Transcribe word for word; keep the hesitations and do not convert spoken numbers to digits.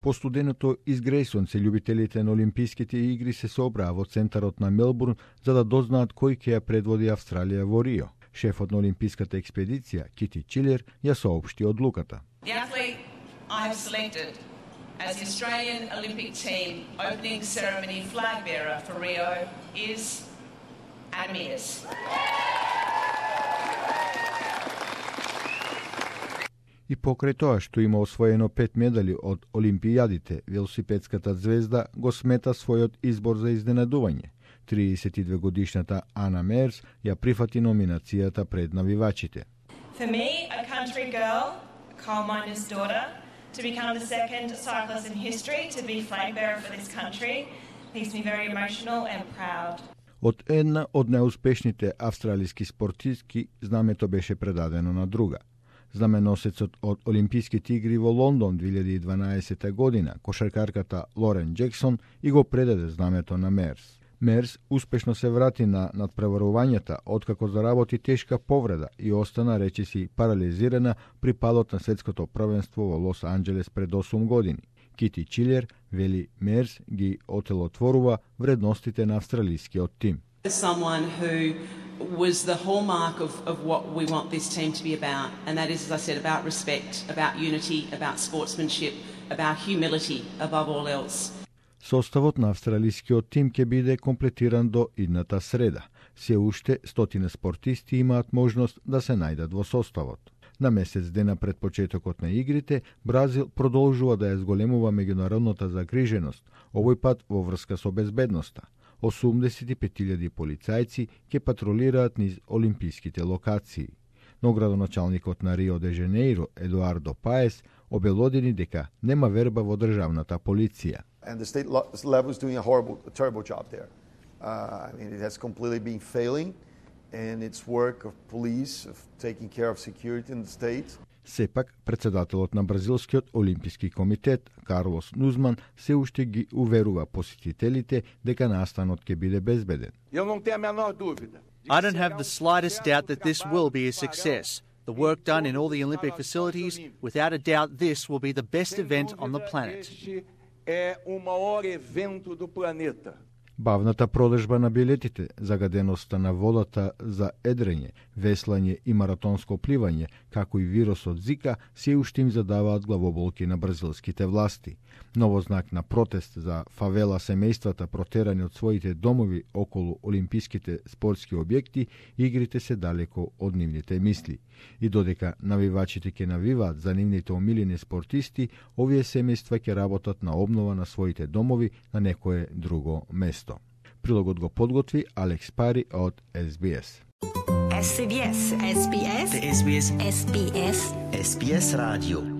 По студеното изгрејсонце, љубителите на Олимписките игри се собраа во центарот на Мелбурн за да дознаат кој ќе ја предводи Австралија во Рио. Шефот на Олимписката експедиција, Кити Чилер, ја соопшти одлуката. The athlete I have selected as the Australian Olympic team opening ceremony flag bearer for Rio is Adam Meares. И покрај тоа што има освоено пет медали од Олимпијадите, велосипедската звезда го смета својот избор за изненадување. триесет и две годишната Ана Мерс ја прифати номинацијата пред навивачите. For me, a country girl, a coal miner's daughter, to become the second cyclist in history to be flag bearer for this country makes me very emotional and proud. Од една од најуспешните австралиски спортистки, знамето беше предадено на друга. Знаменосецот од Олимписките игри во Лондон две илјади и дванаесета година, кошаркарката Лорен Джексон, и го предаде знамето на Мерс. Мерс успешно се врати на надпреварувањата откако заработи тешка повреда и остана речиси парализирана при падот на светското првенство во Лос Анџелес пред осум години. Кити Чилер вели Мерс ги отелотворува вредностите на австралискиот тим. Someone who was the hallmark of, of what we want this team to be about, and that is, as I said, about respect, about unity, about sportsmanship, about humility above all else. Составот на австралискиот тим ќе биде комплетиран до идната среда. Се уште стотина спортисти имаат можност да се најдат во составот. На месец дена пред почетокот на игрите, Бразил продолжува да ја зголемува меѓународната загриженост, овој пат во врска со безбедноста. осумдесет и пет илјади полицајци ќе патролираат низ олимписките локации. Но градоначалникот на Рио де Жанеиро, Едуардо Паес, обелодени дека нема верба во државната полиција. And the state level is doing a horrible, a terrible job there. Uh, I mean, it has completely been failing in its work of police, of taking care of security in the state. Сепак, председателот на Бразилскиот олимписки комитет, Карлос Нузман, се уште ги уверува посетителите дека настанот ќе биде безбеден. Eu não tenho a menor dúvida. I don't have the slightest doubt that this will be a success. The work done in all the Olympic facilities, without a doubt, this will be the best event on the planet. É o maior evento do planeta. Бавната продажба на билетите, загаденоста на водата за едрење, веслање и маратонско пливање, како и вирусот Зика, се уште им задаваат главоболки на бразилските власти. Ново знак на протест за фавела семејствата протерани од своите домови околу олимписките спортски објекти, игрите се далеко од нивните мисли. И додека навивачите ќе навиваат за нивните омилени спортисти, овие семејства ќе работат на обнова на своите домови на некое друго место. Прилогот го подготви Алекс Пари од Ес Би Ес. Ес Би Ес, Ес Би Ес, Ес Би Ес, Ес Би Ес, Ес Би Ес радио.